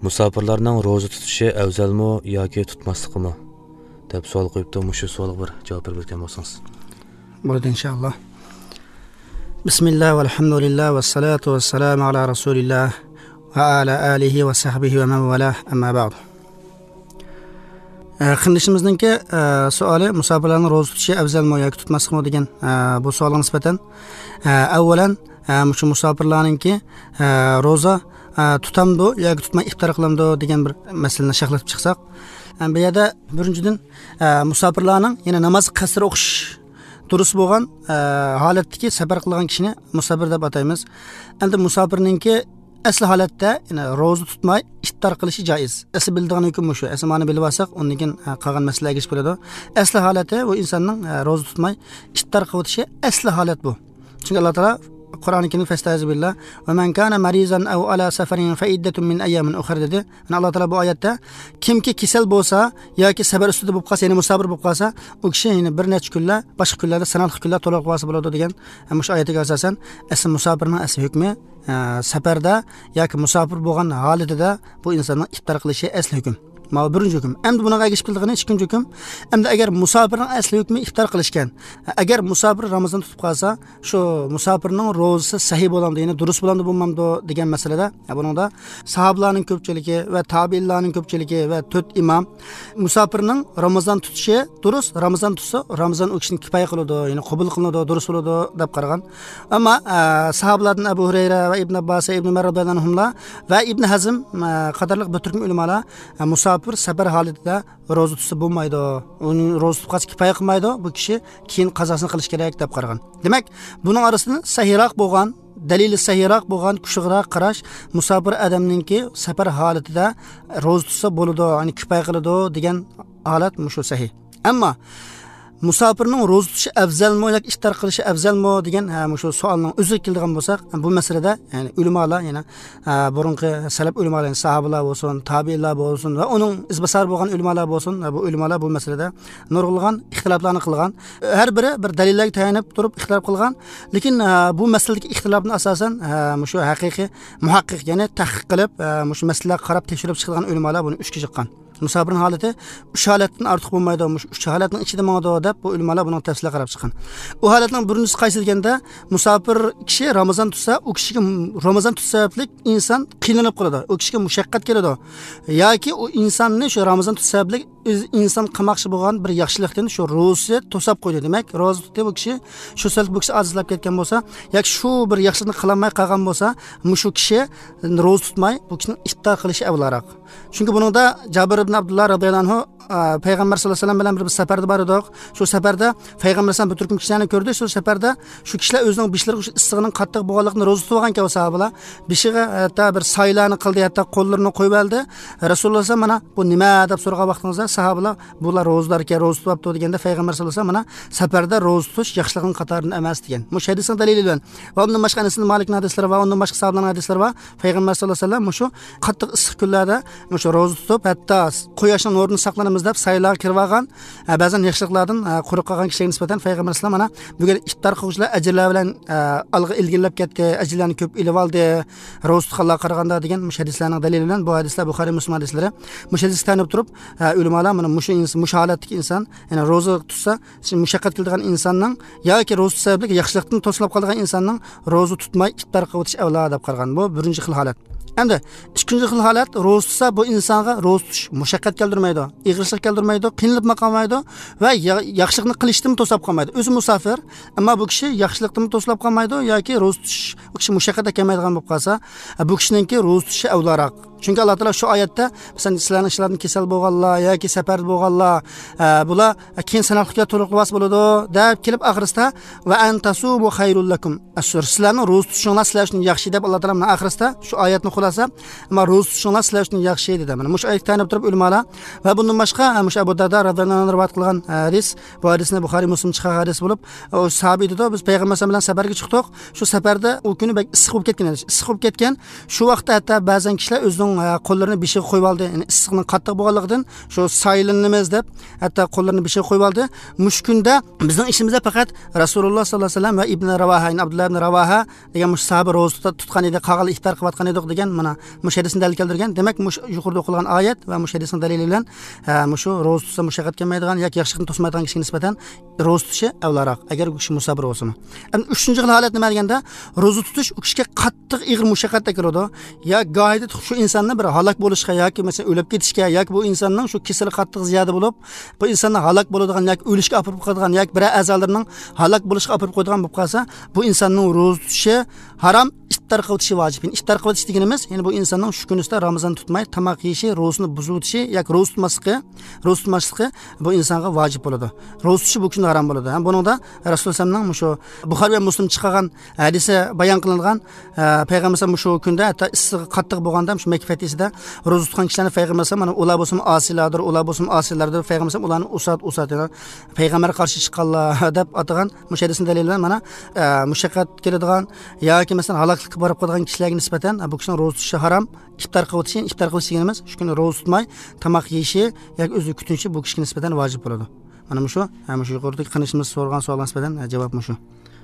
Musofirlarning ro'za tutishi afzalmi yoki tutmasligimi deb savol qo'yibdi. Mushu savolga bir javob berib o'tgan bo'lsangiz. Bo'ladi inshaalloh. Bismillah valhamdulillah vassalatu vassalamu ala rasulillah va ala alihi va sahbihi va man valah, amma ba'd. Qindishimizningki savoli musofirlarning ro'za tutishi afzalmi yoki tutmasligimi degan bu savolga nisbatan avvalan shu musofirlarningki ro'za tutamdi yoki tutmay iftor qilamdi degan bir masalani sharhlatib chiqsak, bu yerda birinchidan musofirlarning yana namoz qasr o'qish durust bo'lgan holatdagi safar qilgan kishini musofir deb ataymiz. Endi musofirningki asli holatda yani ro'za tutmay iftor qilishi joiz. Asli bildigan hukm shu. Asli ma'ni bilib olsak, undan keyin qolgan masalaga ergashib bo'ladi. Asli holati bu insonning ro'za tutmay iftor qilishi asli holat bu. Chunki Alloh taolo Qur'oni Karimda fastaizu billah va man kana marizan aw ala safarin fa iddatun min ayyamin ukhra dedi. Mana Alloh taolo bu oyatda kimki kasal bo'lsa yoki safar ustida bo'lib qolsa, ya'ni musofir bo'lib qolsa, u kishi ya'ni bir necha kunlar, boshqa kunlarda sanalq kunlar to'liq qilsa bo'ladi degan shu oyatga asosan asl musofirning asl hukmi safarda yoki musofir bo'lgan holatida bu insonning iftor qilishi asl hukm. Ma birinchi hukm. Endi bunaqa ergashib qildig'ini ikkinchi hukm. Endi agar musofirning asli hukmi iftor qilishgan, agar musofir Ramazon tutib qolsa, shu musofirning ro'zasi sahih bo'lamdi, ya'ni durust bo'lamdi bo'lmamdi degan masalada, buningda sahobalarning ko'pchiligi va tabiinlarning ko'pchiligi va to'rt imom musofirning Ramazon tutishi durust, Ramazon tutsa Ramazon u kishini kifoya qiladi, ya'ni qabul qilinadi, durust bo'ladi deb qaragan. Ammo sahobalardan Abu Hurayra va Ibn Abbos, Ibn Umar radhiyallohu anhumlar va Ibn Hazm qatorliq bir turkum ulamolar musofir bir safar holatida ro'za tutsa bo'lmaydi, uning ro'za tutib qolsa kifoya qilmaydi, bu kishi keyin qazosini qilish kerak deb qaragan. Demak, buning orasida sahiyroq bo'lgan, dalili sahiyroq bo'lgan, kuchliroq qarash musofir odamninki safar holatida ro'za tutsa bo'ladi, ya'ni kifoya qiladi degan holat mushu sahih. Ammo musofirning ro'za tutishi afzalmi yoki iftor qilishi afzalmi degan shu savolning o'ziga keladigan bo'lsak, bu masalada ya'ni ulamolar, ya'ni burungi salaf ulamolar, ya'ni sahobalar bo'lsin, tabiinlar bo'lsin va uning izbosar bo'lgan ulamolar bo'lsin, bu ulamolar bu masalada nurg'ulg'an ixtiloflarni qilgan, har biri bir dalillarga tayanib turib ixtilof qilgan. Lekin bu masaladagi ixtilofni asosan shu haqiqiy muhaqqiq, ya'ni tahqiq qilib shu masalalarga qarab tekshirib chiqilgan ulamolar buni uchga chiqqan. Musofirning holati uch holatdan ortiq bo'lmaydi, uch holatning ichida mangdi deb bu ulamolar buning tafsiliga qarab chiqqan. U holatning birinchisi qaysi deganda, musofir kishi Ramazon tutsa, u kishiga Ramazon tutsa sababli inson qiynalib qoladi, u kishiga mushaqqat keladi yoki u insonni shu Ramazon tutsa sababli inson qilmoqchi bo'lgan bir yaxshilikdan shu ro'zasi to'sab qo'ydi. Demak, ro'za tutdi bu kishi, shu sababli bu kishi azizlab ketgan bo'lsa yoki shu bir yaxshilikni qilolmay qolgan bo'lsa, shu kishi ro'za tutmay bu kishining iftor qilishi avvalroq. Chunki buningda Jabir ibn Abdulloh radhiyallohu anhu payg'ambar sallallohu alayhi vasallam bilan bir safarda bor edik. Shu safarda payg'ambar sallam bir turkum kishilarni ko'rdi. Shu safarda shu kishilar o'zining bishlari shu issig'ining qattiq bo'lganligini ro'za tutib olgan sahobalar bishiga hatto bir saylarni qildi, hatto qo'llarini qo'yib oldi. Rasululloh sallam mana bu nima deb so'ragan vaqtingizda sahobalar bular ro'zalar ekan, ro'za tutyapti deganda payg'ambar sallallohu alayhi vasallam mana safarda ro'za tutish yaxshilikning qatoridan emas degan. Bu hadisning dalili bilan va undan boshqa Anas ibn Malikning hadislari va undan boshqa sahobalarning hadislari va payg'ambar sallallohu alayhi vasallam shu qattiq issiq kunlarda shu ro'za tutib hatto quyoshning nurini saqlanamiz deb saylarga kirib olgan, ba'zan yaxshiliklardan quruq qolgan kishiga nisbatan payg'ambar sallam mana bugun iftor qiluvchilar ajrlar bilan olg'a ilgirlab ketdi, ajrlarni ko'p ilib oldi ro'za tutganlarga qaraganda degan mush hadislarning dalili bilan bu hadislar Buxoriy Muslim hadislari. Mush hadisga tayanib turib ulamolar mana mushu inson, mushu holatdagi inson, ya'ni ro'za tutsa mushaqqat qiladigan insonning yoki ro'za tutsa sababli yaxshilikdan to'silib qolgan insonning ro'za tutmay iftor qilib o'tish avlo deb qaragan. Bu birinchi xil holat. Endi ikkinchi xil holat, ro'za tutsa bu insonga ro'za tutish mushaqqat keltirmaydi, ig'irchilik keltirmaydi, qiynalib qolmaydi va yaxshilikni qilishdan to'sab qolmaydi. O'zi musofir, ammo bu kishi yaxshilikdan to'silib qolmaydi yoki ro'za tutish u kishi mushaqqatga kelmaydigan bo'lib qolsa, bu kishiningki ro'za tutishi avvalroq. Chunki Alloh taolo shu oyatda masalan sizlarning ishlarini kasal bo'lganlar yoki safarda bo'lganlar bular keyin sanoqlikka to'liq libos bo'ladi deb kelib oxirisida va antasumu khayrul lakum. Sizlarning ro'za tutishinglar sizlar uchun yaxshi deb Alloh taolo mana oxirisida shu oyatni xulosa, ammo ro'za tutishinglar sizlar uchun yaxshi dedi. Mana shu oyatni tanib turib ulamolar va bundan boshqa shu Abu Dardo radhiyallohu anhu rivoyat qilgan hadis, bu hadisni Buxoriy Muslim chiqargan hadis bo'lib, u sahobiy dedi, biz payg'ambar bilan safarga chiqdik. Shu safarda u kuni bek issiq bo'lib ketgan edi. Issiq bo'lib ketgan. Shu vaqtda hatto ba'zan kishilar o'zining o'zining qo'llarini beshiga qo'yib oldi. Ya'ni issiqning qattiq bo'lganligidan shu soylanamiz deb hatto qo'llarini beshiga qo'yib oldi. Mush kunda bizning ishimizda faqat Rasululloh sollallohu alayhi vasallam va Ibn Ravaha, ya'ni Abdulloh ibn Ravaha degan mush sahoba ro'za tutgan edi, qag'al iftor qilayotgan edik degan mana mush hadisni dalil keltirgan. Demak, mush yuqorida o'qilgan oyat va mush hadisning dalili bilan mushu ro'za tutsa mushaqqat kelmaydigan yoki yaxshilikni to'smaydigan kishiga nisbatan ro'za tutishi avvalroq, agar u kishi musafir bo'lsa. Endi uchinchi xil holat nima deganda, ro'za tutish u kishiga qattiq ig'ir mushaqqat keladi. Ya gohida shu insonni bir halok bo'lishga yoki masalan o'lib ketishga yoki bu insonning shu kasali qattiq ziyoda bo'lib, bu insonni halok bo'ladigan yoki o'lishga olib qo'yadigan yoki bir a'zolarining halok bo'lishga olib qo'yadigan bo'lib qolsa, bu insonning ro'za tutishi harom, iftor qilishi vojib. Iftor qilish deganimiz, ya'ni bu insonning shu kunisida Ramazon tutmay tomoq yeyishi, ro'zani buzib o'tishi yoki ro'za tutmasligi bu insonga vojib bo'ladi. Ro'za tutishi bu kunda harom bo'ladi. Ham buningda Rasululloh sallallohu shu Buxoriy va Muslim chiqargan hadisi bayon qilingan, payg'ambar shu kunda hatto issig'i qattiq bo'lganda shu Makka fatisida ro'za tutgan kishilarni payg'ambar mana ular bo'lsin osiylardir, ular bo'lsin osiylardir, payg'ambar ularni usat ya'ni payg'ambarga qarshi chiqqanlar deb atagan mush hadisning dalili bilan mana mushaqqat keladigan yoki masalan haloklikka borib qolgan kishilarga nisbatan bu kishining ro'za tutishi harom, iftor qilishi, iftor qilish deganimiz shu kuni ro'za tutmay tomoq yeyishi yoki o'zi kutinishi bu kishiga nisbatan vojib bo'ladi. Mana shu, mana shu yuqoridagi qanishimiz so'ragan savolga nisbatan javob shu.